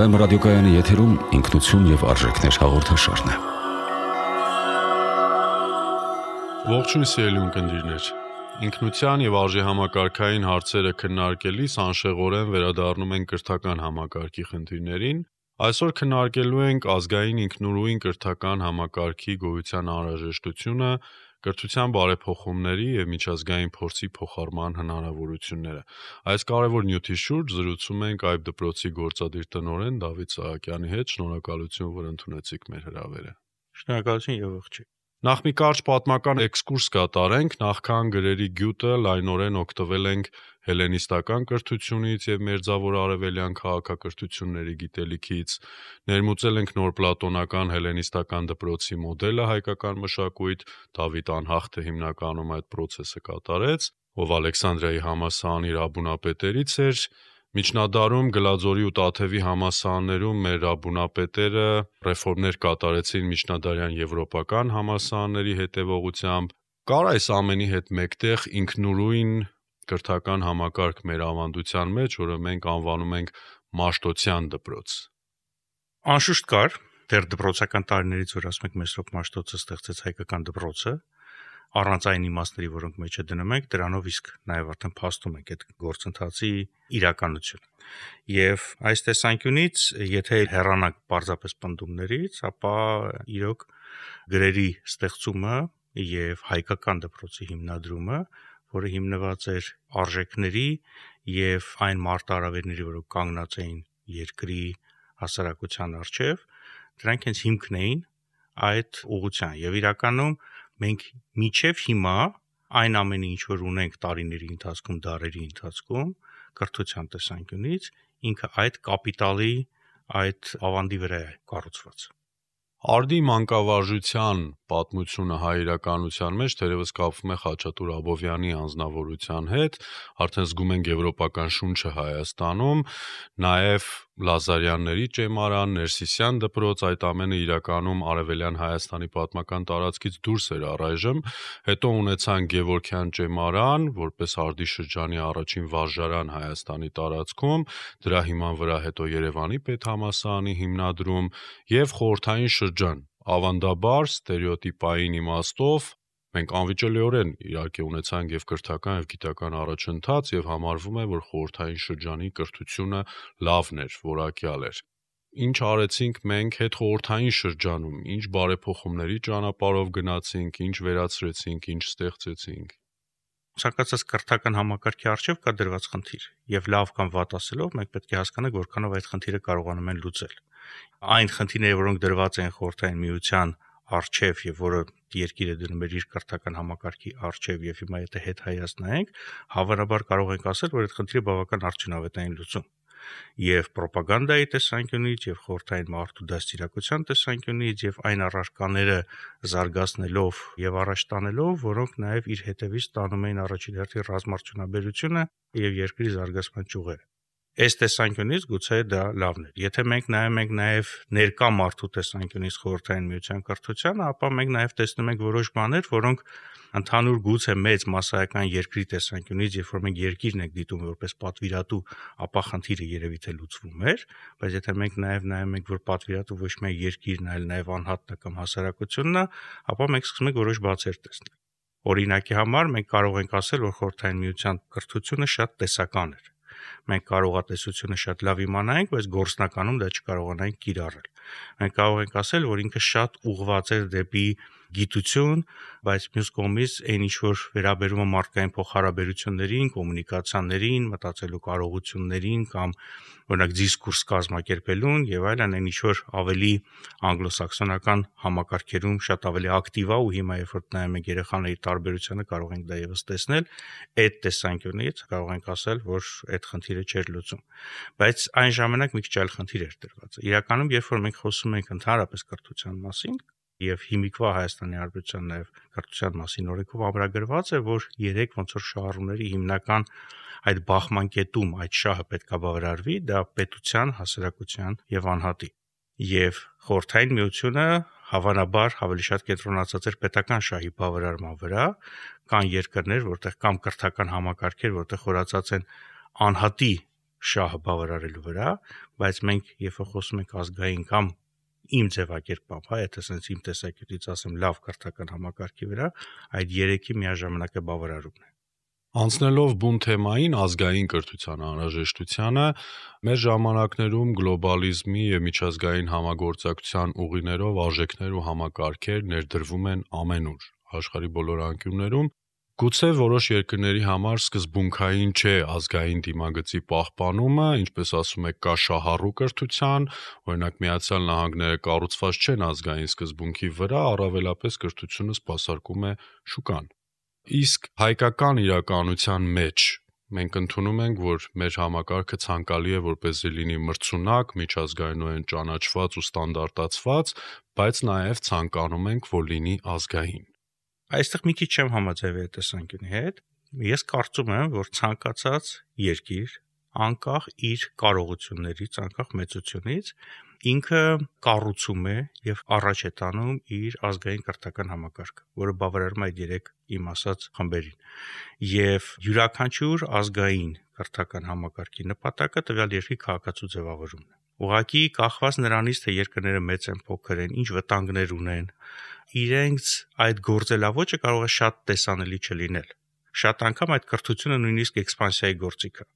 Վեմ ռադիոկայանի եթերում ինքնություն և արժեքներ հաղորդաշարն է։ Ողջույն սիրելի ունկնդիրներ։ Ինքնության և արժեհամակարգային հարցերը քննարկելիս անշեղորեն վերադառնում ենք կրթական համակարգի խնդիրներին։ Այսօր քննարկելու ենք ազգային ինքնուրույն կրթական համակարգի գոյության անհրաժեշտությունը, կրթության բարեփոխումների և միջազգային փորձի փոխարման հնարավորությունները։ Այս կարևոր նյութի շուրջ զրուցում ենք այբ դպրոցի գործադիր տնօրեն Դավիթ Սահակյանի հետ։ Շնորհակալություն, որ ընդունեցիք մեր հրավերը։ Շնորհակալություն եւ ողջույն։ Նախ մի կարճ պատմական էքսկուրս կատարենք, նախքան գրերի գյուտը լայնորեն օգտվել ենք հելլենիստական կրթությունից և մերձավոր արևելյան քաղաքակրթությունների գիտելիքից, ներմուծել ենք նոր պլատոնական հելլենիստական դպրոցի մոդելը հայկական մշակույթ, Դավիթ անհախտը հիմնականում այդ պրոցեսը կատարեց, ով Ալեքսանդրիայի համալսարանի ռաբունապետերից էր։ Միջնադարում Գլաձորի ու Տաթևի համալսարաններում մեր ռաբունապետերը ռեֆորմներ կատարեցին միջնադարյան եվրոպական համալսարանների հետևողությամբ։ Կար այս ամենի հետ մեկտեղ ինքնուրույն կրթական համակարգ մեր ավանդության մեջ, որը մենք անվանում ենք Մաշտոցյան դպրոց։ Անշուշտ կար, դեռ դպրոցական տարիներից, որ ասում եք Մեսրոպ Մաշտոցը ստեղծեց հայկական դպրոցը, առանց այն իմաստների, որոնք մեջը դնում ենք, դրանով իսկ նաև արդեն փաստում ենք այդ գործընթացի իրականությունը։ Եվ այս տեսանկյունից, եթե հեռանանք պարզապես պնդումներից, ապա իրոք գրերի ստեղծումը եւ հայկական դպրոցի հիմնադրումը, որը հիմնված էր արժեքների եւ այն մարտահրավերների, որոնք կանգնած էին երկրի հասարակության առջև, դրանք հենց հիմքն էին այդ ուղղության։ Եվ իրականում մենք մինչև հիմա այն ամենը, ինչ որ ունենք տարիների ընթացքում, դարերի ընթացքում, կրթության տեսանկյունից, ինքը այդ կապիտալի, այդ ավանդի վրա է կառուցված։ Արդի մանկավարժության պատմությունը հայ իրականության մեջ թերևս կապվում է Խաչատուր Աբովյանի անձնավորության հետ, արդեն զգում ենք եվրոպական շունչը Հայաստանում, նաև Լազարյանների ճեմարան, Ներսիսյան դպրոց, այդ ամենը իրականում արևելյան Հայաստանի պատմական տարածքից դուրս էր առայժմ, հետո ունեցանք Գևորգյան ճեմարան, որպես Արդի շրջանի առաջին վարժարան Հայաստանի տարածքում, դրա հիման վրա հետո Երևանի պետհամալսարանի հիմնադրում և խորհրդային շրջան, ավանդաբար ստերեոտիպային իմաստով մենք անվիճելիորեն իհարկե ունեցանք և կրթական և գիտական առաջընթաց և համարվում է, որ խորհրդային շրջանի կրթությունը լավն էր, որակյալ էր։ Ինչ արեցինք մենք հետխորհրդային շրջանում, ինչ բարեփոխումների ճանապարհով գնացինք, ինչ վերացրեցինք, ինչ ստեղծեցինք։ Ցանկացած կրթական համակարգի առջև կա դրված խնդիր, եւ լավ կամ վատ ասելով մենք պետք է հասկանանք, որքանով այդ խնդիրը կարողանում են լուծել։ Այն խնդիրները, որոնք դրված են խորհրդային միության առջև եւ որը երկիրը դնում էր իր կրթական համակարգի առջև եւ հիմա եթե հետ հայացնենք, հավանաբար կարող ենք ասել, որ այդ խնդիրը բավական արդյունավետ է լուծում։ Եվ ռոպագանդայի տեսանկյունից, եւ խորհրդային մարդու դաստիարակության տեսանկյունից, եւ այն առարկաները զարգացնելով եւ առաջ տանելով, որոնք նաեւ իր հետևից տանում էին առաջին հերթին ռազմարդյունաբերությունը եւ երկրի զարգացման ճյուղերը։ Այս տեսանկյունից գուցե դա լավն էր։ Եթե մենք նայում ենք նաև ներկա մարդու տեսանկյունից խորհրդային միության կրթությանը, ապա մենք նաև տեսնում ենք որոշ բաներ, որոնք ընդհանուր գուցե մեծ մասսայական երկրի տեսանկյունից, երբ որ մենք երկիրն ենք դիտում որպես պատվիրատու, ապա խնդիրը երևի թե լուծվում էր, բայց եթե մենք նաև նայում ենք, որ պատվիրատու ոչ միայն երկիրն, այլ նաև անհատն է կամ հասարակությունն է, ապա մենք սկսում ենք որոշ բացեր տեսնել։ Օրինակի համար մենք կարող ենք ասել, որ խորհրդային միության կրթությունը շատ տեսական էր։ Մենք կարողատեսությունը շատ լավ իմանայինք, բայց գործնականում դա չկարողանայինք կիրառել։ Մենք կարող ենք ասել, որ ինքը շատ ուղղված էր դեպի գիտություն, բայց մյուս կողմից այն ինչ որ վերաբերում է մարդկային փոխհարաբերություններին, կոմունիկացիաներին, մտածելու կարողություններին կամ օրինակ դիսկուրս կազմակերպելուն եւ այլն, այն ինչ որ ավելի անգլոսաքսոնական համակարգերում շատ ավելի ակտիվ է ու հիմա երբ որ նայում ենք երեխաների տարբերությանը կարող ենք դա եւս տեսնել, այդ տեսանկյունից կարող ենք ասել, որ այդ խնդիրը չէր լուծում։ Բայց այն ժամանակ մի քիչ այլ խնդիր էր դրված։ Իրականում երբ որ մենք խոսում ենք ընդհանրապես կրթության մասին եւ հիմիկվա Հայաստանի Հանրապետության նաեւ կրթության մասին օրենքով ամրագրված է, որ 3 ոնց որ շահառուների հիմնական այդ բախման կետում այդ շահը պետք է բավարարվի, դա պետության, հասարակության եւ անհատի։ Եվ խորհրդային միությունը հավանաբար ավելի շատ կենտրոնացած էր պետական շահի բավարարման վրա, կան երկրներ, որտեղ կամ կրթական համակարգեր, որտեղ խորացած են անհատի շահը բավարարելու վրա, բայց մենք երբ խոսում ենք ազգային կամ իմ ձևակերպամբ, եթե sense իմ տեսակետից ասեմ լավ կրթական համակարգի վրա, այդ երեքի միաժամանակ է բավարարումն է։ Անցնելով բուն թեմային ազգային կրթության անհրաժեշտությանը, մեր ժամանակներում գլոբալիզմի եւ միջազգային համագործակցության ուղիներով արժեքներ ու համակարգեր ներդրվում են ամենուր, աշխարհի բոլոր անկյուններում, գուցե որոշ երկրների համար սկզբունքային չէ ազգային դիմագծի պահպանումը, ինչպես ասում եք, կա շահառու կրթության, օրինակ Միացյալ Նահանգները կառուցված չեն ազգային սկզբունքի վրա, առավելապես կրթությունը սպասարկում է շուկան։ Իսկ հայկական իրականության մեջ մենք ընդունում ենք, որ մեր համակարգը ցանկալի է, որպեսզի լինի մրցունակ, միջազգայինորեն ճանաչված ու ստանդարտացված, բայց նաև ցանկանում ենք, որ լինի ազգային։ Այստեղ մի քիչ չեմ համաձայնվի այդ տեսանկյունի հետ։ Ես կարծում եմ, որ ցանկացած երկիր, անկախ իր կարողություններից, անկախ մեծությունից, ինքը կառուցում է եւ առաջ է տանում իր ազգային կրթական համակարգը, որը բավարարում է այդ երեք իմ ասած խմբերին։ Եվ յուրաքանչյուր ազգային կրթական համակարգի նպատակը տվյալ երկրի քաղաքացու ձևավորումն է։ Ուղղակի կախված նրանից, թե երկրները մեծ են, փոքր են, ինչ վտանգներ ունեն, իրենց այդ գործելավոճը կարող է շատ տեսանելի չլինել։ Շատ անգամ այդ կրթությունը նույնիսկ էքսպանսիայի գործիք է։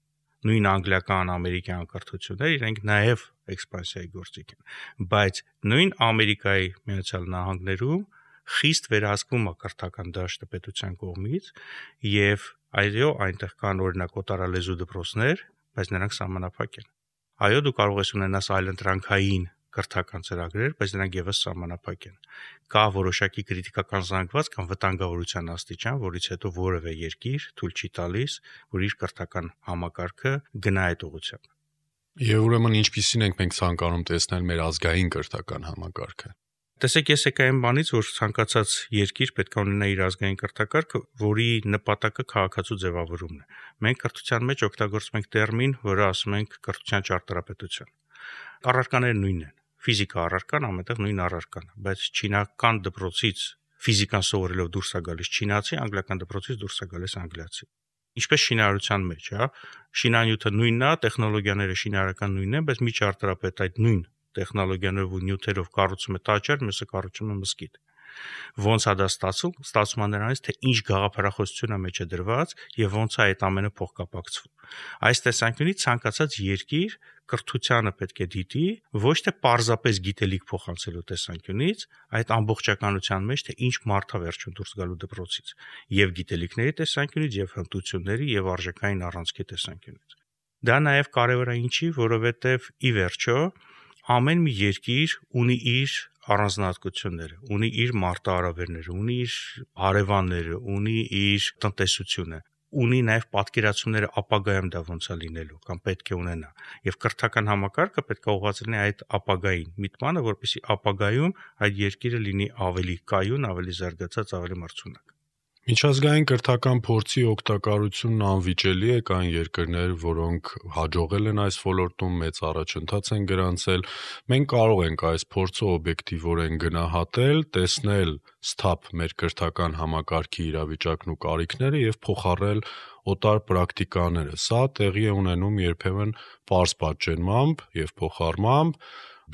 Նույն անգլիական, ամերիկյան կրթությունները իրենք նաև էքսպանսիայի գործիք են, բայց նույն Ամերիկայի Միացյալ Նահանգներում խիստ վերահսկվում է կրթական դաշտը պետության կողմից եւ այո, այնտեղ կան օրինակ օտարալեզու դպրոցներ, բայց նրանք սահմանափակ են։ Այո, դու կարող ես ունենալ այլընտրանքային կրթական ծրագրեր, բայց նրանք եւս սահմանափակ են։ Կա որոշակի քրիտիկական զանգված կամ վտանգավորության աստիճան, որից հետո որևէ երկիր թույլ չի տալիս, որ իր կրթական համակարգը գնա այդ ուղղությամբ։ Եվ ուրեմն ինչպիսին ենք մենք ցանկանում տեսնել մեր ազգային կրթական համակարգը։ Տեսեք, ես եկա այն բանից, որ ցանկացած երկիր պետք է ունենա իր ազգային կրթակարգը, որի նպատակը քաղաքացու ձևավորումն է։ Մենք կրթության մեջ օգտագործում ենք տերմին, որը ասում ենք կրթության ճարտարապետություն։ Առարկաները նույնն են։ Ֆիզիկա առարկան ամենտեղ նույն առարկան է, բայց չինական դպրոցից ֆիզիկան սովորելով դուրս է գալիս չինացի, անգլիական դպրոցից դուրս է գալիս անգլիացի։ Ինչպես շինարարության մեջ, շինանյութը նույնն է, տեխնոլոգիաները շինարարական նույնն են, բայց մի ճարտարապետ այդ նույն տեխնոլոգիաներով ու նյութերով կառուցում է տաճար, մյուսը կառուցում է մզկիթ։ Ոնց է դա ստացվում է նրանից, թե ինչ գաղափարախոսություն է մեջ է դրված եւ ոնց է այդ ամենը փոխկապակցվում։ Այս տեսանկյունից ցանկացած երկիր կրթությանը պետք է դիտի ոչ թե պարզապես գիտելիք փոխանցելու տեսանկյունից, այդ ամբողջականության մեջ, թե ինչ մարդ է վերջում դուրս գալու դպրոցից, եւ գիտելիքների տեսանկյունից, եւ հմտությունների, եւ արժեքային առանցքի տեսանկյունից։ Դա նաեւ կարեւոր է ինչի, որովհետեւ ի վերջո ամեն մի երկիր ունի իր առանձնահատկությունները, ունի իր մարտահրավերները, ունի իր հարևանները, ունի իր տնտեսությունը, ունի նաև պատկերացումները ապագայում դա ոնց է լինելու կամ պետք է ունենա։ Եվ կրթական համակարգը պետք է ուղղված լինի այդ ապագային միտմանը, որպեսզի ապագայում այդ երկիրը լինի ավելի կայուն, ավելի զարգացած, ավելի մրցունակ։ Միջազգային կրթական փորձի օգտակարությունն անվիճելի է, կան երկրներ, որոնք հաջողել են այս ոլորտում, մեծ առաջընթաց են գրանցել։ Մենք կարող ենք այս փորձը օբյեկտիվորեն գնահատել, տեսնել սթափ մեր կրթական համակարգի իրավիճակն ու կարիքները եւ փոխառել օտար պրակտիկաները։ Սա տեղի է ունենում երբեմն պարզ պատճենմամբ եւ փոխառմամբ,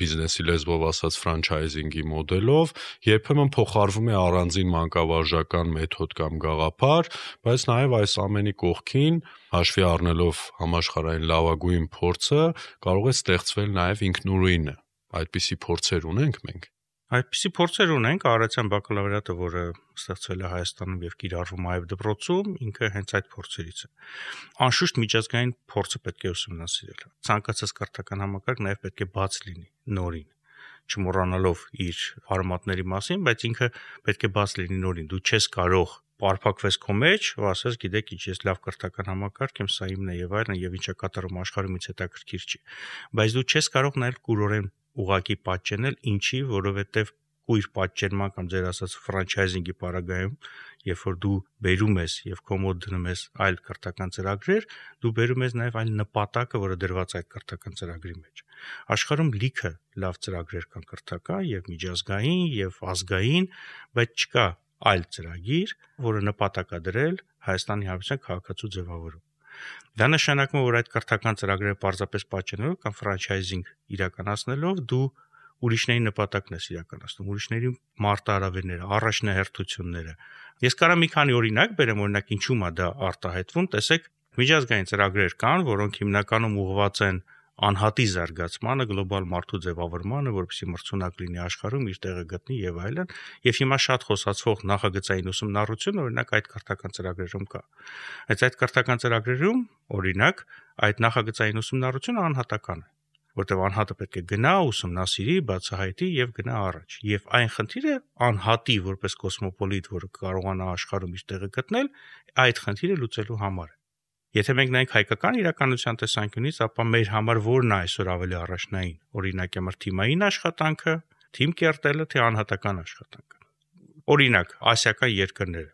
բիզնեսի լեզվով ասած ֆրանչայզինգի մոդելով, երբեմն փոխարվում է առանձին մանկավարժական մեթոդ կամ գաղափար, բայց նաև այս ամենի կողքին, հաշվի առնելով համաշխարհային լավագույն փորձը, կարող է ստեղծվել նաև ինքնուրույնը։ Այդպիսի փորձեր ունենք մենք։ Այդպիսի փորձեր ունենք, Արարատյան բակալավրիատը, որը ստեղծվել է Հայաստանում եւ կիրառվում է այլ դպրոցում, ինքը հենց այդ փորձերից է։ Անշուշտ միջազգային փորձը պետք է ուսումնասիրել։ Ցանկացած կրթական համակարգ նաեւ պետք է բաց լինի նորին, չմոռանալով իր արմատների մասին, բայց ինքը պետք է բաց լինի նորին։ Դու չես կարող պարփակվես քո մեջ, ու ասես, գիտեք, ինչ ես լավ կրթական համակարգ եմ, սա իմն է եւ այլն, եւ ինչա կատարում աշխարհում ինձ հետաքրքիր չի։ Բայց դու չես կարող նաեւ կուրորեն ուղակի պատճենել, ինչի, որովհետեւ կույր պատճենման կամ ձեր ասած ֆրանչայզինգի պարագայում, երբ որ դու բերում ես եւ կոմոդ դնում ես այլ կրթական ծրագրեր, դու բերում ես նաեւ այլ նպատակը, որը դրված է այդ կրթական ծրագրի մեջ։ Աշխարհում լիքը լավ ծրագրեր կան կրթական եւ միջազգային եւ ազգային, բայց չկա այլ ծրագիր, որը նպատակ է դրել Հայաստանի Հանրապետության քաղաքացու ձևավորում։ Դա նշանակում է, որ այդ կրթական ծրագրերը պարզապես պատճենելով կամ ֆրանչայզինգ իրականացնելով դու ուրիշների նպատակն ես իրականացնում, ուրիշների մարտահրավերները, առաջնահերթությունները։ Ես կարամ մի քանի օրինակ բերեմ, օրինակ ինչու՞ է դա արտահայտվում, տեսեք, միջազգային ծրագրեր կան, որոնք հիմնականում ուղղված են անհատի զարգացմանը, գլոբալ մարդու ձևավորմանը, որպեսզի մրցունակ լինի աշխարհում, իր տեղը գտնի եւ այլն, եւ հիմա շատ խոսացվող նախագծային ուսումնառություն օրինակ այդ կրթական ծրագրերում կա։ Այդ կրթական ծրագրերում օրինակ այդ նախագծային ուսումնառությունը անհատական է, որտեղ անհատը պետք է գնա, ուսումնասիրի, բացահայտի եւ գնա առաջ։ Եվ այն խնդիրը անհատի որպես կոսմոպոլիտ, որը կարողանա աշխարհում իր տեղը գտնել, այդ խնդիրը լուծելու համար է։ Եթե մենք նայենք հայկական իրականության տեսանկյունից, ապա մեր համար որն է այսօր ավելի առաջնային, օրինակ համար թիմային աշխատանքը, թիմ կերտելը, թե անհատական աշխատանքը։ Օրինակ, ասիական երկրները,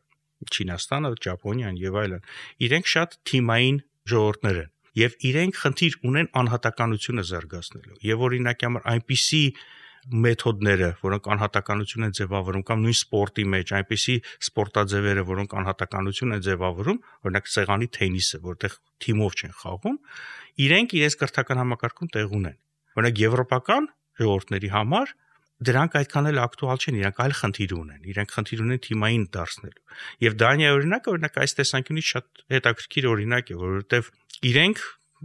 Չինաստանը, Ճապոնիան եւ այլն, իրենք շատ թիմային ժողովուրդներ են եւ իրենք խնդիր ունեն անհատականությունը զարգացնելու։ Եվ օրինակ համար այնպիսի մեթոդները, որոնք անհատականություն են ձևավորում կամ նույն սպորտի մեջ այնպիսի սպորտաձևերը, որոնք անհատականություն են ձևավորում, օրինակ սեղանի թենիսը, որտեղ թիմով չեն խաղում, իրենք իրենց կրթական համակարգում տեղ ունեն։ Օրինակ եվրոպական ժողովուրդների համար դրանք այդքան էլ ակտուալ չեն, իրենք այլ խնդիր ունեն, իրենք խնդիր ունեն թիմային դարձնելու։ Եվ Դանիայի օրինակը օրինակ այս տեսանկյունից շատ հետաքրքիր օրինակ է, որովհետև իրենք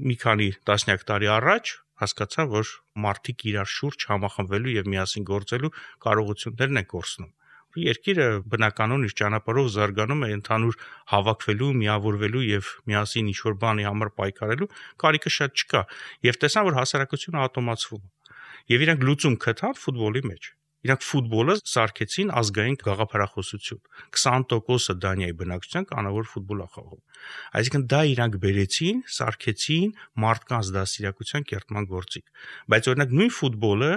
մի քանի տասնյակ տարի առաջ հասկացան, որ մարդիկ իրար շուրջ համախմբվելու եւ միասին գործելու կարողություններն են կորցնում։ Երկիրը բնականon իր ճանապարհով զարգանում է ընդհանուր հավաքվելու, միավորվելու եւ միասին ինչ-որ բանի համար պայքարելու կարիքը շատ չկա։ Եվ տեսան, որ հասարակությունը ատոմացվում է։ Եվ իրենք լուծում գտան ֆուտբոլի մեջ։ Իրանք ֆուտբոլը սարքեցին ազգային գաղափարախոսություն։ 20% Դանիայի բնակչության կանավոր ֆուտբոլ է խաղում։ Այսինքն դա իրանք բերեցին, սարքեցին մարդկանց դաստիարակության կերտման գործիք։ Բայց օրինակ նույն ֆուտբոլը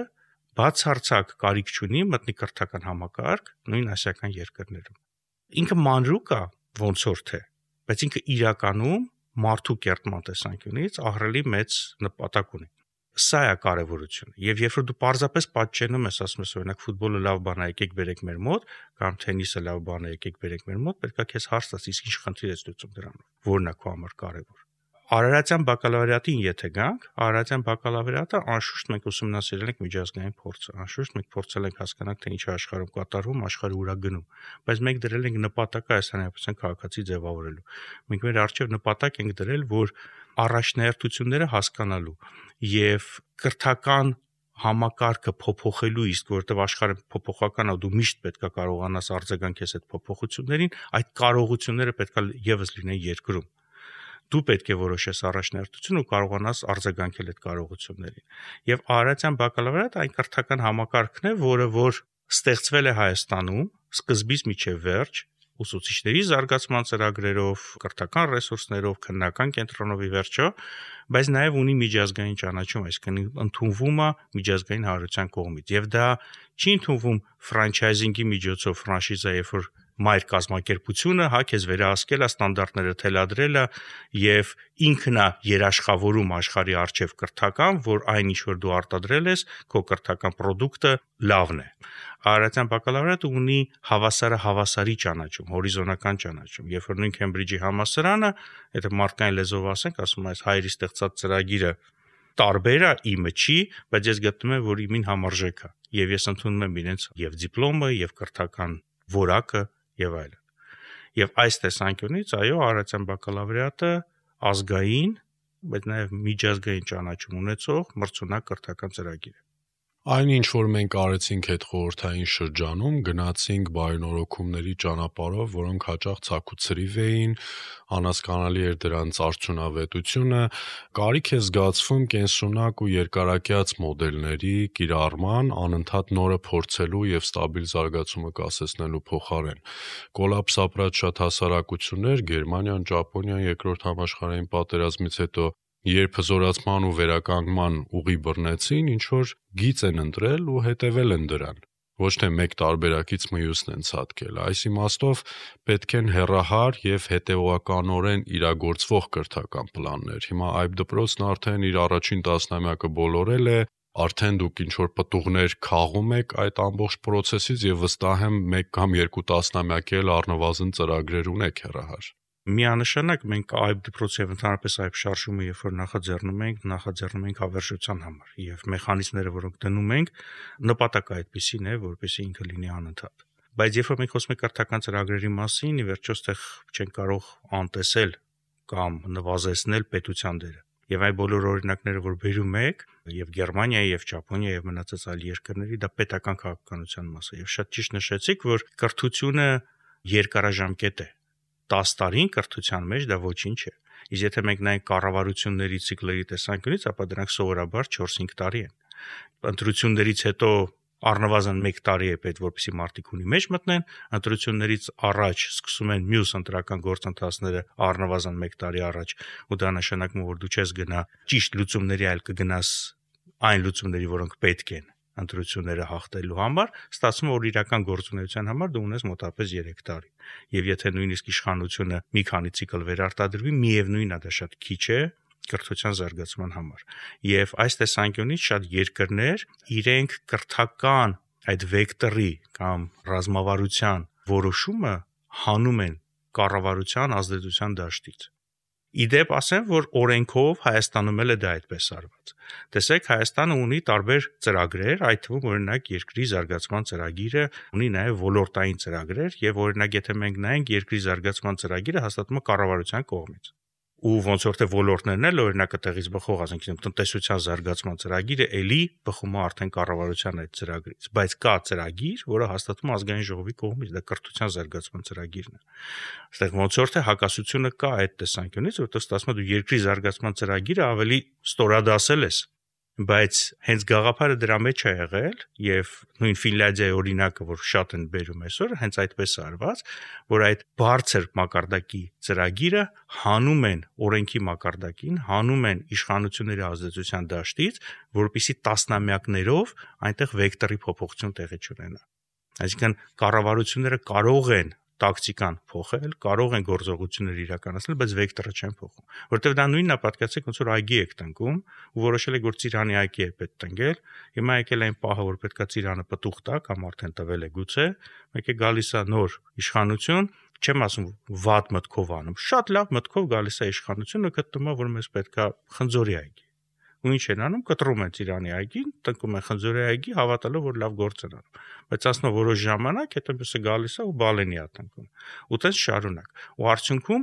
բացարձակ կարիք չունի մտնի կրթական համակարգ նույն ասիական երկրներում։ Ինքը մանրուկ է ոնց որ թե, բայց ինքը իրականում մարդու կերտման տեսանկյունից ահռելի մեծ նպատակ ունի։ Սա է կարևորությունը։ Եվ երբ որ դու պարզապես պատճենում ես, ասում ես օրինակ ֆուտբոլը լավ բան է, եկեք բերեք մեր մոտ, կամ թենիսը լավ բան է, եկեք բերեք մեր մոտ, պետք է քեզ հարց տաս, իսկ ինչ խնդիր ես լուծում դրանով։ Որն է քո համար կարևոր։ Արարատյան բակալավրիատին եթե գանք, արարատյան բակալավրիատը անշուշտ մենք ուսումնասիրել ենք միջազգային փորձը, անշուշտ մենք փորձել ենք հասկանալ թե ինչ է աշխարհում կատարվում, աշխարհը ուր է գնում, բայց մենք դրել ենք նպատակը Հայաստանի Հանրապետության քաղաքացի ձևավորելու։ Մենք մեր առջև նպատակ ենք դրել, որ առաջնահերթությունները հասկանալու եւ կրթական համակարգը փոփոխելու, իսկ որովհետեւ աշխարհը փոփոխական է, դու միշտ պետքա կարողանաս արձագանքես այդ փոփոխություններին, այդ կարողությունները պետքա եւս լինեն երկրում։ Դու պետք է որոշես առաջնահերթություն ու կարողանաս արձագանքել այդ կարողություններին։ Եվ արարատյան բակալավրիատը այն կրթական համակարգն է, որը որ ստեղծվել է Հայաստանում սկզբից մինչև վերջ, ուսուցիչների զարգացման ծրագրերով, կրթական ռեսուրսներով, քննական կենտրոնով ի վերջո, բայց նաև ունի միջազգային ճանաչում, այսինքն ընդունվում է միջազգային հանրության կողմից։ Եվ դա չի ընդունվում ֆրանչայզինգի միջոցով, ֆրանշիզա, երբ որ մայր կազմակերպությունը, հա, քեզ վերահսկել է, ստանդարտները թելադրել է եւ ինքն է երաշխավորում աշխարհի արչեւ կրթական, որ այն ինչ որ դու արտադրել ես, քո կրթական product-ը լավն է։ Արարատյան բակալավրիատը ունի հավասարի ճանաչում, հորիզոնական ճանաչում։ Երբ որ նույն Քեմբրիջի համալսարանը, եթե մարդկային լեզվով ասենք, ասում այս հայերի ստեղծած ծրագիրը տարբեր է, իմը չի, բայց ես գտնում եմ, որ իմին համարժեք է։ Եվ ես ընդունում եմ իրենց եւ դիպլոմը, եւ կրթական որակը եւ այլն։ Եվ այս տեսանկյունից, այո, արարատյան բակալավրիատը ազգային, բայց նաեւ միջազգային ճանաչում ունեցող մրցունակ կրթական ծրագիր է։ Այն ինչ որ մենք արեցինք այդ խորհրդային շրջանում, գնացինք բարենորոգումների ճանապարհով, որոնք հաճախ ցաքուցրիվ էին, անհասկանալի էր դրանց արդյունավետությունը, կարիք է զգացվում կենսունակ ու երկարակյաց մոդելների կիրառման, անընդհատ նորը փորձելու եւ ստաբիլ զարգացումը կասեցնելու փոխարեն։ Կոլապս ապրած շատ հասարակություններ, Գերմանիան, Ճապոնիան երկրորդ համաշխարհային պատերազմից հետո երբ հզորացման ու վերականգնման ուղի բռնեցին, ինչ որ գիծ են ընտրել ու հետևել են դրան։ Ոչ թե մեկ տարբերակից մյուսն են ցատկել։ Այս իմաստով պետք են հեռահար եւ հետեւականորեն իրագործվող կրթական պլաններ։ Հիմա այբ դպրոցն արդեն իր առաջին տասնամյակը բոլորել է, արդեն դուք ինչ որ պտուղներ քաղում եք այդ ամբողջ process-ից եւ վստահ եմ 1 կամ 2 տասնամյակ էլ առնվազն ծրագրեր ունեք հեռահար։ Միանշանակ մենք այբ դպրոցի եւ ընդհանրապես այբ շարժումը երբ որ նախաձեռնում ենք հավերժության համար եւ մեխանիզմները, որոնք դնում ենք, նպատակը այդպեսին է, որպեսզի ինքը լինի անընդհատ։ Բայց երբ որ մենք խոսում ենք կրթական ծրագրերի մասին, ի վերջո այստեղ չենք կարող անտեսել կամ նվազեցնել պետության դերը։ Եվ այն բոլոր օրինակները, որ բերում եք, եւ Գերմանիայի, եւ Ճապոնիայի, եւ մնացած այլ երկրների, դա պետական քաղաքականության մաս է։ Եվ շատ ճիշտ նշեցիք, որ կրթությունը երկարաժամկետ է։ 10 տարին կրթության մեջ դա ոչինչ է։ Իսկ եթե մենք նայենք կառավարությունների ցիկլերի տեսանկյունից, ապա դրանք սովորաբար 4-5 տարի են։ Ընտրություններից հետո առնվազն 1 տարի է պետք, որպեսզի մարտիկ ունի մեջ մտնեն, ընտրություններից առաջ սկսում են մյուս ընտրական գործընթացները առնվազն 1 տարի առաջ, ու դա նշանակում է, որ դու չես գնա ճիշտ լուծումների, այլ կգնաս այն լուծումների, որոնք պետք են ընտրությունները հաղթելու համար, ստացվում է, որ իրական գործունեության համար դու ունես մոտավորապես 3 տարի։ Եվ եթե նույնիսկ իշխանությունը մի քանի ցիկլ վերարտադրվի, միևնույնն է դա շատ քիչ է կրթության զարգացման համար։ Եվ այս տեսանկյունից շատ երկրներ իրենք կրթական այդ վեկտորի կամ ռազմավարության որոշումը հանում են կառավարության ազդեցության դաշտից։ Իդեպ ասեմ, որ օրենքով Հայաստանում էլ է դա այդպես արված։ Տեսեք, Հայաստանը ունի տարբեր ծրագրեր, այդ թվում օրինակ երկրի զարգացման ծրագիրը ունի նաև ոլորտային ծրագրեր, եւ օրինակ եթե մենք նայենք երկրի զարգացման ծրագիրը հաստատվում է կառավարության կողմից։ Ու ոնց որ թե ոլորտներն էլ օրինակը տեղից բխող, ասենք տնտեսության զարգացման ծրագիրը էլի բխում է արդեն կառավարության այդ ծրագրից, բայց կա ծրագիր, որը հաստատվում է ազգային ժողովի կողմից, դա կրթության զարգացման ծրագիրն է։ Այստեղ ոնց որ թե հակասությունը կա այդ տեսանկյունից, որտեղ ստացվում է դու երկրի զարգացման ծրագիրը ավելի ստորադասել ես, բայց հենց գաղափարը դրա մեջ է եղել, եւ նույն Ֆինլանդիայի օրինակը, որ շատ են բերում այսօր, հենց այդպես է արված, որ այդ բարձր մակարդակի ծրագիրը հանում են օրենքի մակարդակին, հանում են իշխանությունների ազդեցության դաշտից, որպեսզի տասնամյակներով այնտեղ վեկտորի փոփոխություն տեղի չունենա։ Այսինքն կառավարությունները կարող են տակտիկան փոխել, կարող են գործողություններ իրականացնել, բայց վեկտորը չեն փոխում, որովհետև դա նույնն է, պատկերացրեք, ոնց որ այգի եք տնկում, ու որոշել եք, որ ծիրանի այգի է պետք տնկել, հիմա եկել այն պահը, որ պետքա ծիրանը պտուղ տա կամ արդեն տվել է գուցե, մեկ է գալիս է նոր իշխանություն, չեմ ասում վատ մտքով անում, շատ լավ մտքով գալիս է իշխանությունը, գտնում է, որ մեզ պետքա խնձորի այգի։ Ու ինչ են անում, կտրում են ծիրանի այգին, տնկում են խնձորի այգի, հավատալով, որ լավ գործ են անում։ Բայց ասնո որոշ ժամանակ հետո մյուսը գալիս է ու բալենի է տնկում։ Ու տես շարունակ։ Ու արդյունքում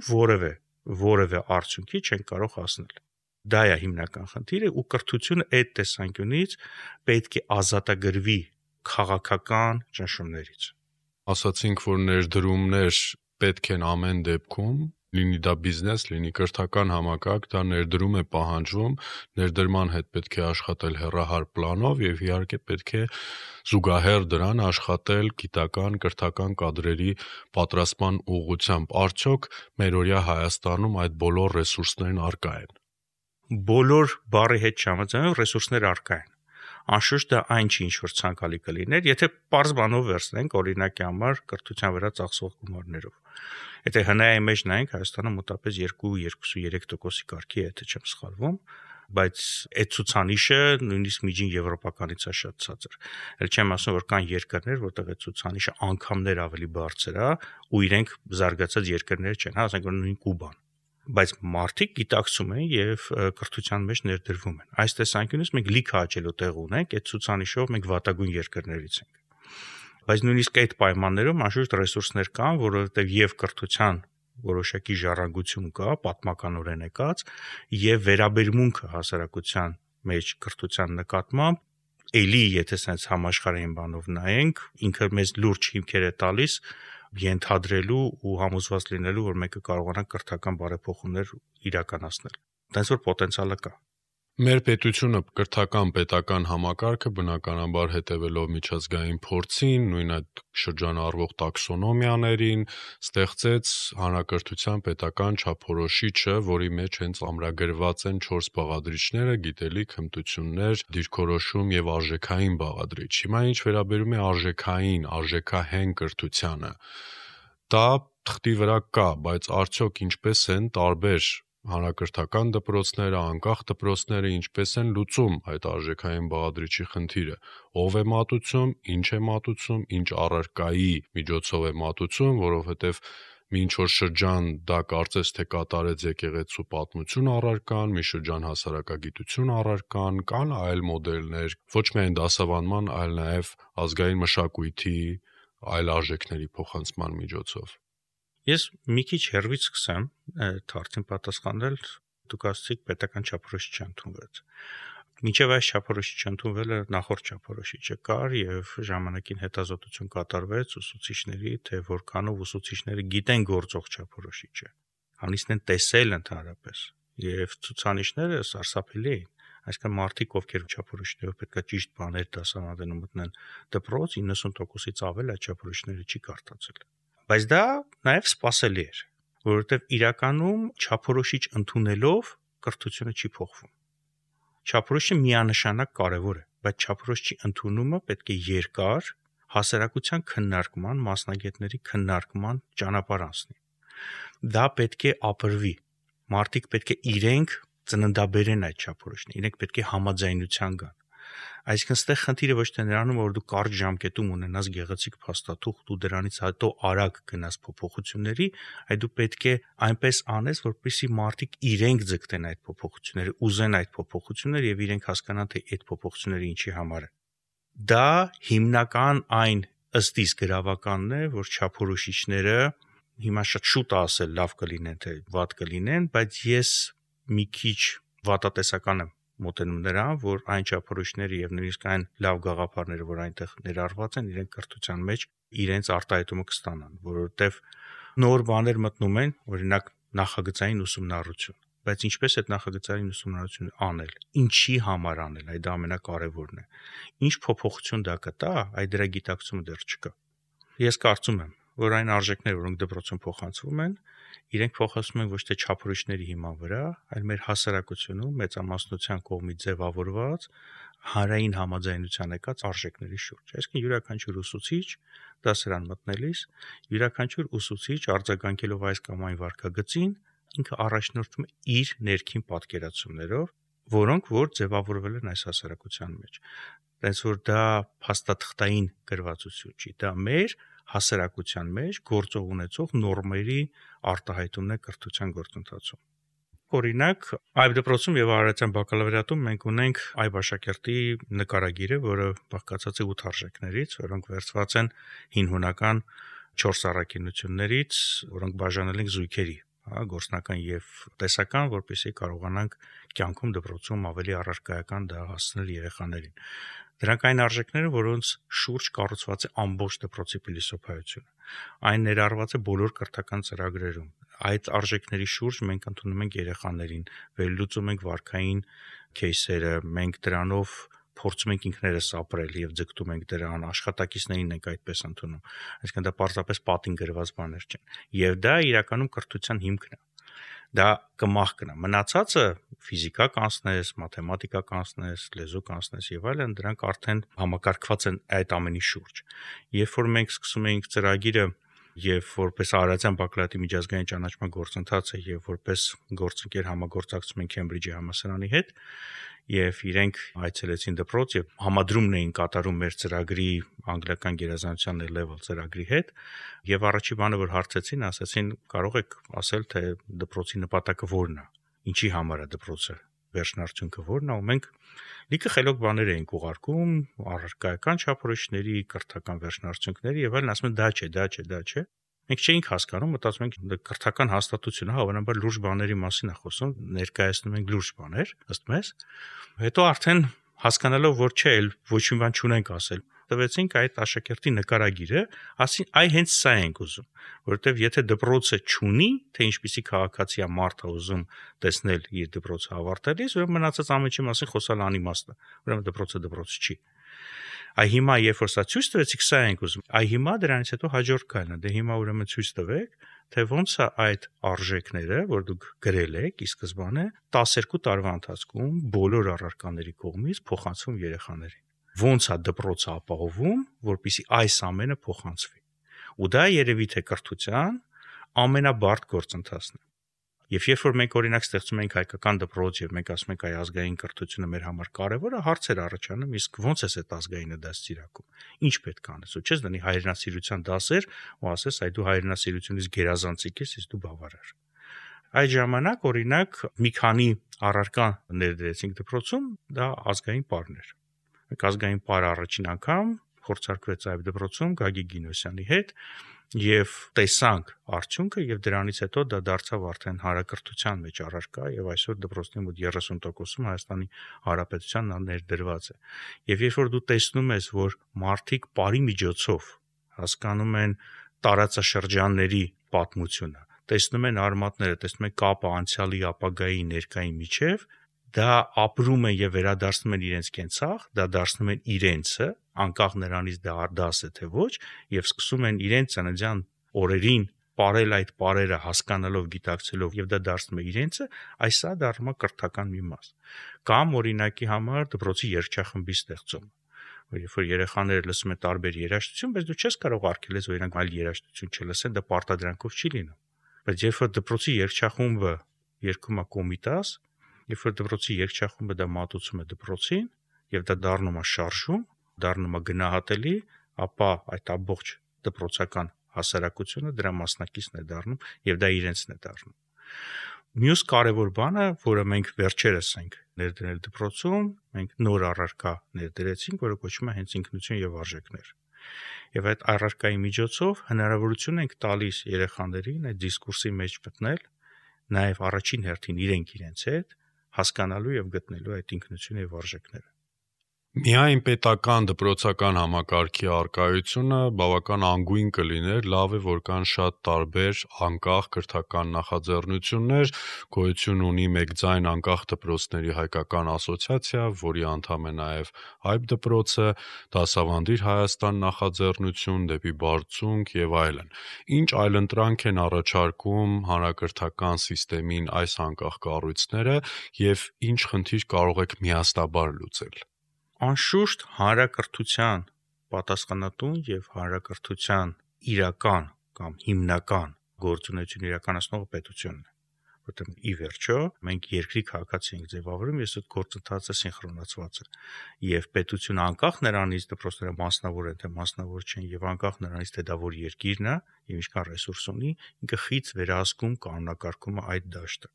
որևէ արդյունքի չեն կարող հասնել։ Դա է հիմնական խնդիրը, ու կրթությունը այդ տեսանկյունից պետք է ազատագրվի քաղաքական ճնշումներից։ Ասացինք, որ ներդրումներ պետք են ամեն դեպքում, լինի դա բիզնես, լինի կրթական համակարգ, դա ներդրում է պահանջվում, ներդրման հետ պետք է աշխատել հեռահար պլանով եւ իհարկե պետք է զուգահեռ դրան աշխատել գիտական, կրթական կադրերի պատրաստման ուղղությամբ։ Արդյոք մերօրյա Հայաստանում այդ բոլոր ռեսուրսներն առկա են։ Բոլոր բառի հետ չհամաձայնեմ, ռեսուրսներ առկա են։ Անշուշտ դա այն չի, ինչ որ ցանկալի կլիներ, եթե պարզ բանով վերցնենք օրինակի համար կրթության վրա ծախսող գումարներով։ Եթե հնայի մեջ նայենք, Հայաստանը մոտավորապես 2-2.3% կարգի է, եթե չեմ սխալվում, բայց այդ ցուցանիշը նույնիսկ միջին եվրոպականից է շատ ցածր։ Էլ չեմ ասում, որ կան երկրներ, որտեղ այդ ցուցանիշը անգամներ ավելի բարձր է, ու իրենք զարգացած երկրներ չեն, հա, ասենք որ նույն Կուբան։ Բայց մարդիկ գիտակցում են եւ կրթության մեջ ներդրվում են։ Այս տեսանկյունից մենք լիքը աճելու տեղ ունենք, այդ ցուցանիշով մենք վատագույն երկրներից ենք։ Բայց նույնիսկ այդ պայմաններում անշուշտ ռեսուրսներ կան, որովհետեւ եւ կրթության որոշակի ժառանգություն կա, պատմականորեն եկած, եւ վերաբերմունքը հասարակության մեջ կրթության նկատմամբ էլի եթե sense համաշխարհային բանով նայենք, ինքը մեզ լուրջ հիմքեր է տալիս ենթադրելու ու համոզված լինելու, որ մեկը կարողանա կրթական բարեփոխումներ իրականացնել։ Տենց որ պոտենցիալը կա։ Մեր պետությունը կրթական պետական համակարգը բնականաբար հետևելով միջազգային փորձին, նույն այդ շրջանառվող տաքսոնոմիաներին, ստեղծեց հանրակրթության պետական չափորոշիչը, որի մեջ հենց ամրագրված են 4 բաղադրիչները՝ գիտելիք, հմտություններ, դիրքորոշում եւ արժեքային բաղադրիչ։ Հիմա ինչ վերաբերում է արժեքահեն կրթությանը, դա թղթի վրա կա, բայց արդյոք ինչպես են տարբեր հանրակրթական դպրոցները, անկախ դպրոցները ինչպես են լուծում այդ արժեքային բաղադրիչի խնդիրը, ով է մատուցում, ինչ է մատուցում, ինչ առարկայի միջոցով է մատուցում, որովհետև Մինչ որ շրջան դա կարծես թե կատարեց եկեղեցու պատմություն առարկան, մի շրջան հասարակագիտություն առարկան, կան այլ մոդելներ, ոչ միայն դասավանդման, այլ նաև ազգային մշակույթի այլ արժեքների փոխանցման միջոցով։ Ես մի քիչ հեռվից սկսեմ հարցին պատասխանել, դուք ասացիք պետական չափորոշիչ չընդունվեց։ Մինչև այս չափորոշիչը ընդունվելը նախորդ չափորոշիչը կար եւ ժամանակին հետազոտություն կատարվեց ուսուցիչների, թե որքանով ուսուցիչները գիտեն գործող չափորոշիչը, հանիսն են տեսել ընդհանրապես եւ ցուցանիշները սարսափելի էին, այսինքն մարդիկ, ովքեր չափորոշիչներով պետքա ճիշտ բաներ դասավանդեն ու մտնեն դպրոց, 90%-ից ավել այդ չափորոշիչները չի կարդացել։ Բայց դա նաեւ սպասելի էր, որովհետեւ իրականում չափորոշիչ ընդունելով կրթությունը չի փոխվում։ Չափորոշիչը միանշանակ կարևոր է, բայց չափորոշիչի ընդունումը պետք է երկար հասարակության քննարկման, մասնագետների քննարկման ճանապարհ անցնի։ Դա պետք է ապրվի։ Մարդիկ պետք է իրենք ծննդաբերեն այդ չափորոշիչները, իրենք պետք է համաձայնության գան։ Այսինքն ստեղ խնդիրը ոչ թե նրանում, որ դու կարճ ժամկետում ունենաս գեղեցիկ փաստաթուղթ ու դրանից հետո արագ գնաս փոփոխությունների, այլ դու պետք է այնպես անես, որպեսզի մարդիկ իրենք ձգտեն այդ փոփոխությունները, ուզեն այդ փոփոխությունները եւ իրենք հասկանան, թե այդ փոփոխությունները ինչի համար են։ Դա հիմնական այն ըստ իս գրավականն է, որ չափորոշիչները հիմա շատ շուտ է ասել լավ կլինեն, թե վատ կլինեն, բայց ես մի քիչ վատատեսական եմ մոտենում նրան, որ այն չափորոշիչները եւ նույնիսկ այն լավ գաղափարները, որ այնտեղ ներառված են, իրենք կրթության մեջ իրենց արտահայտումը կստանան, որովհետեւ նոր բաներ մտնում են, օրինակ նախագծային ուսումնառություն, բայց ինչպես այդ նախագծային ուսումնառությունը անել, ինչի համար անել, այդ ամենակարևորն է։ Ինչ փոփոխություն դա կտա, այդ դրա գիտակցումը դեռ չկա։ Ես կարծում եմ, որ այն արժեքները, որոնք դպրոցում փոխանցվում են, իրենք փոխանցվում են ոչ թե չափորոշիչների հիման վրա, այլ մեր հասարակությունում մեծամասնության կողմից ձևավորված հանրային համաձայնության եկած արժեքների շուրջ։ Այսինքն յուրաքանչյուր ուսուցիչ դասարան մտնելիս, յուրաքանչյուր ուսուցիչ արձագանքելով այս կամ այն վարքագծին, ինքը առաջնորդվում է իր ներքին պատկերացումներով, որոնք որ ձևավորվել են այս հասարակության մեջ։ Տենց որ դա փաստաթղթային գրվածություն չի, դա մեր հասարակության մեջ գործող ունեցող նորմերի արտահայտումն է կրթության գործընթացում։ Օրինակ, այբ դպրոցում եւ արարատյան բակալավրիատում մենք ունենք այբ աշակերտի նկարագիրը, որը բաղկացած է 8 արժեքներից, որոնք վերցված են հին հունական 4 առաքինություններից, որոնք բաժանել են զույգերի, գործնական եւ տեսական, որպեսզի կարողանանք կյանքում դպրոցում ավելի առարկայական դա հասցնել երեխաներին։ Դրանք այն արժեքները, որոնց շուրջ կառուցված է ամբողջ դպրոցի փիլիսոփայությունը։ Այն ներառված է բոլոր կրթական ծրագրերում։ Այդ արժեքների շուրջ մենք ընդունում ենք երեխաներին, վերլուծում ենք վարքային кейսերը, մենք դրանով փորձում ենք ինքներս ապրել եւ ձգտում ենք դրան, աշխատակիցներին ենք այդպես ընդունում։ Այսինքն դա պարզապես պատին գրված բաներ չեն։ Եվ դա իրականում կրթության հիմքն է։ Դա կմահկն է։ Մնացածը ֆիզիկա կանցնես, մաթեմատիկա կանցնես, լեզու կանցնես եւ այլն, դրանք արդեն համակարգված են այդ ամենի շուրջ։ Երբ որ մենք սկսում էինք ծրագիրը եւ որպես արարատյան բակալավրիատի միջազգային ճանաչման գործընթացը եւ որպես գործընկեր համագործակցում ենք Քեմբրիջի համալսարանի հետ եւ իրենք այցելեցին դպրոց եւ համադրումն էին կատարում մեր ծրագրի անգլիական գերազանցության level ծրագրի հետ եւ առաջի բանը որ հարցեցին, ասացին կարող եք ասել թե դպրոցի նպատակը որն է, ինչի համար է դպրոցը, վերջնարդյունքը որն է, ու մենք լիքը խելոք բաներ էինք ուղարկում, առարկայական չափորոշիչների, կրթական վերջնարդյունքների եւ այլն, ասում են դա չէ։ Մենք չէինք հասկանում, մտածում ենք կրթական հաստատությունը, հավանաբար լուրջ բաների մասին է խոսում, ներկայացնում ենք լուրջ բաներ, ըստ մեզ։ Հետո արդեն հասկանալով, որ չէ, ոչ մի բան չունենք ասել, տվեցինք այդ աշակերտի նկարագիրը, ասին, այ հենց սա ենք ուզում, որովհետև եթե դպրոցը չունի, թե ինչպիսի քաղաքացի է մարդը ուզում տեսնել իր դպրոցը ավարտելիս, ուրեմն մնացած ամենի մասին խոսալ անիմաստ է, ուրեմն դպրոցը դպրոց չի։ Այ հիմա երբ որ սա ցույց տվեցիք, սա ենք ուզում։ Այ հիմա դրանից հետո հաջորդ քայլն է, դե հիմա ուրեմն ցույց տվեք, թե ոնց է այդ արժեքները, որ դուք գրել եք ի սկզբանե 12 տարվա ընթացքում բոլոր առարկաների կողմից փոխանցվում երեխաներին։ Ոնց է դպրոցը ապահովում, որպեսզի այս ամենը փոխանցվի։ Ու դա երևի թե կրթության ամենաբարդ գործընթացն է։ Եվ երբ որ մենք օրինակ ստեղծում ենք հայկական դպրոց եւ մենք ասում ենք այ ազգային կրթությունը մեր համար կարեւոր է, հարցեր առաջանում, իսկ ո՞նց է այդ ազգայինը դաստիարակում։ Ինչ պետք է անես։ Ու չես դնի հայրենասիրության դասեր ու ասես այ դու հայրենասիրությունից գերազանցիկ ես, իսկ դու բավարար։ Այդ ժամանակ օրինակ մի քանի առարկա ներդրեցինք դպրոցում, դա ազգային պարներ։ Մենք ազգային պարը առաջին անգամ փորձարկվեց այբ դպրոցում Գագիկ Գինոսյանի հետ եւ տեսանք արդյունքը եւ դրանից հետո դա դարձավ արդեն հանրակրթության մեջ առարկա եւ այսօր դպրոցների մոտ 30%-ում Հայաստանի Հանրապետության ներդրված է։ Եվ երբ որ դու տեսնում ես, որ մարդիկ բարի միջոցով հասկանում են տարածաշրջանների պատմությունը, տեսնում են արմատները, տեսնում են կապը անցյալի, ապագայի, ներկայի միջև, դա ապրում են եւ վերադարձնում են իրենց կենցաղ, դա դարձնում են իրենցը, անկախ նրանից դա դաս է թե ոչ, եւ սկսում են իրենց ծննդյան օրերին ապրել այդ ապրերը հասկանալով, գիտակցելով եւ դա դարձնում է իրենցը, այսա դառնում է կրթական մի մաս։ Կամ օրինակի համար դպրոցի երգչախմբի ստեղծումը։ Երբ որ երեխաները լսում են տարբեր երաժշտություն, բայց դու չես կարող արգելես, որ իրանք այլ երաժշտություն չլսեն, դա պարտադրանքով չի լինում։ Բայց երբ որ դպրոցի երգչախումբը երգում է կոմիտաս, երբ որ դպրոցի երգչախումբը դա մատուցում է դպրոցին եւ դա դառնում է շարժում, դառնում է գնահատելի, ապա այդ ամբողջ դպրոցական հասարակությունը դրա մասնակիցն է դառնում եւ դա իրենցն է դառնում։ Մյուս կարևոր բանը, որը մենք վերջերս ենք ներդրել դպրոցում, մենք նոր առարկա ներդրեցինք, որը կոչվում է հենց ինքնություն եւ արժեքներ։ Եվ այդ առարկայի միջոցով հնարավորություն ենք տալիս երեխաներին այդ դիսկուրսի մեջ մտնել, նաեւ առաջին հերթին իրենց հետ հասկանալու եւ գտնելու այդ ինքնությունը եւ արժեքները։ Միայն պետական դպրոցական համակարգի արկայությունը բավական անգույն կլիներ, լավ է, որ կան շատ տարբեր անկախ կրթական նախաձեռնություններ, գոյություն ունի մեկ ձայն անկախ դպրոցների հայկական ասոցիացիա, որի անդամ է նաև այբ դպրոցը, Դասավանդիր Հայաստան նախաձեռնություն, դեպի բարձունք եւ այլն։ Ինչ այլընտրանք են առաջարկում հանրակրթական համակարգին այս անկախ կառույցները եւ ինչ խնդիր կարող եք միասնաբար լուծել։ Անշուշտ հանրակրթության պատասխանատուն եւ հանրակրթության իրական կամ հիմնական գործունեություն իրականացնող պետությունն է, որտեղ ի վերջո մենք երկրի քաղաքացի ենք ձևավորում, ես այդ գործընթացը սինխրոնացված է եւ պետությունը անկախ նրանից դպրոցները մասնավոր են թե մասնավոր չեն եւ անկախ նրանից թե դա որ երկիրն է եւ ինչքան ռեսուրս ունի, ինքը խից վերահսկում կանոնակարգում է այդ դաշտը։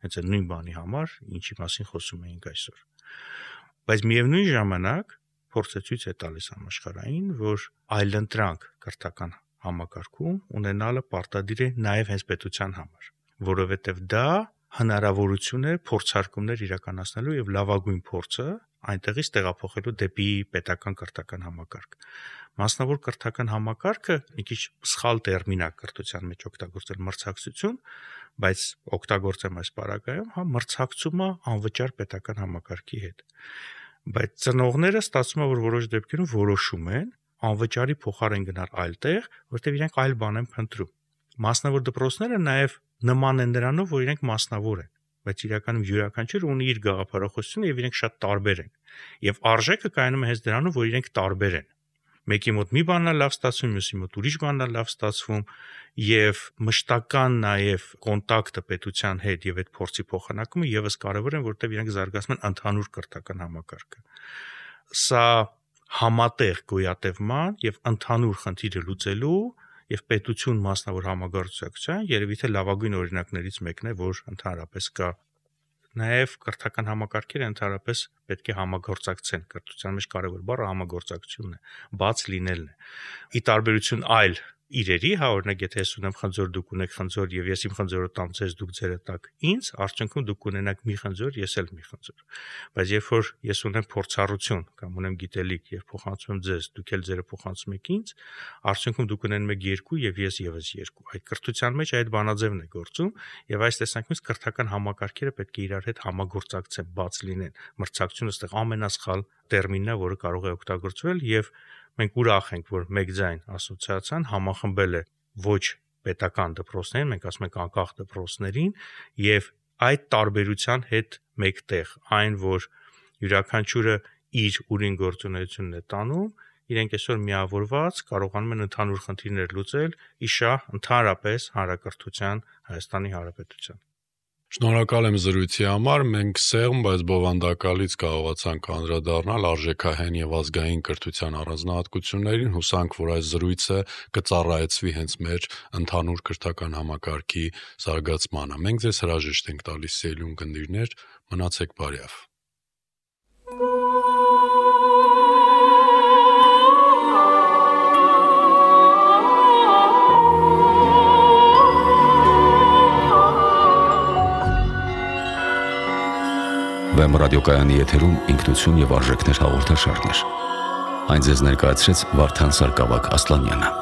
Հենց այդ նույն բանի համար, ինչի մասին խոսում էինք այսօր։ Բայց միևնույն ժամանակ փորձը ցույց է տալիս համաշխարհային, որ այլընտրանք կրթական համակարգում ունենալը պարտադիր է նաև հենց պետության համար, որովհետև դա հնարավորություն է փորձարկումներ իրականացնելու եւ լավագույն փորձը այնտեղից տեղափոխելու դեպի պետական կրթական համակարգ։ Մասնավոր կրթական համակարգը մի քիչ սխալ տերմին է կրթության մեջ օգտագործել մրցակցություն, բայց օգտագործեմ այս պարագայում, հա մրցակցումը անվճար պետական համակարգի հետ։ Բայց ծնողները ստացվում է, որ որոշ դեպքերում որոշում են անվճարի փոխարեն գնալ այլ տեղ, որտեղ իրենք այլ բան են փնտրում։ Մասնավոր դպրոցները նաև նման են նրանով, որ իրենք մասնավոր են, բայց իրականում յուրաքանչյուրը ունի իր գաղափարախոսությունը եւ իրենք շատ տարբեր են։ Եվ արժեքը կայանում է հենց դրանով, որ իրենք տարբեր են։ Մեկի մոտ մի բանն է լավ ստացվում, մյուսի մոտ ուրիշ բանն է լավ ստացվում, եւ մշտական նաեւ կոնտակտը պետության հետ եւ այդ փորձի փոխանակումը եւս կարեւոր են, որտեղ իրենք զարգացնում են ընդհանուր կրթական համակարգը։ Սա համատեղ գոյատևման եւ ընդհանուր խնդիրը լուծելու եւ պետություն մասնավոր համագործակցության երևի թե լավագույն օրինակներից մեկն է, որ ընդհանրապես կա։ Նաև կրթական համակարգերը ընդհանրապես պետք է համագործակցեն։ Կրթության մեջ կարևոր բառը համագործակցությունն է, բաց լինելն է։ Ի տարբերություն այլ իրերի, հա, օրինակ, եթե ես ունեմ խնձոր, դուք ունեք խնձոր եւ ես իմ խնձորը տամ ձեզ, դուք ձերը տաք ինձ, արդյունքում դուք ունենաք մի խնձոր, ես էլ մի խնձոր։ Բայց երբ որ ես ունեմ փորձառություն կամ ունեմ գիտելիք եւ փոխանցում ձեզ, դուք էլ ձերը փոխանցում եք ինձ, արդյունքում դուք ունենում եք 2 եւ ես եւս 2։ Այդ կրթության մեջ այդ բանաձևն է գործում եւ այս տեսանկյունից կրթական համակարգերը պետք է իրար հետ համագործակցեն, բաց լինեն։ Մրցակցությունը այստեղ ամենասխալ տերմինն է, որը կարող է օգտագործվել եւ մենք ուրախ ենք, որ մեկ ձայն ասոցիացիան համախմբել է ոչ պետական դպրոցներին, մենք ասում ենք անկախ դպրոցներին եւ այդ տարբերության հետ մեկտեղ այն, որ յուրաքանչյուրը իր ուրին գործունեությունն է տանում, իրենք այսօր միավորված կարողանում են ընդհանուր խնդիրներ լուծել իշահ ընդհանրապես հանրակրթության Հայաստանի Հանրապետության։ Շնորհակալ եմ զրույցի համար, մենք սեղմ, բայց բովանդակալից կարողացանք անդրադառնալ արժեքահեն եւ ազգային կրթության առանձնահատկություններին, հուսանք, որ այս զրույցը կծառայեցվի հենց մեր ընդհանուր կրթական համակարգի զարգացմանը։ Մենք ձեզ հրաժեշտ ենք տալիս, սիրելի ունկնդիրներ, մնացեք բարյավ։ Վեմ ռադիոկայանի եթերում ինքնություն եւ արժեքներ հաղորդաշարներ։ Այն ձեզ ներկայացրեց Վարդան Սարգսակ Ասլանյանը։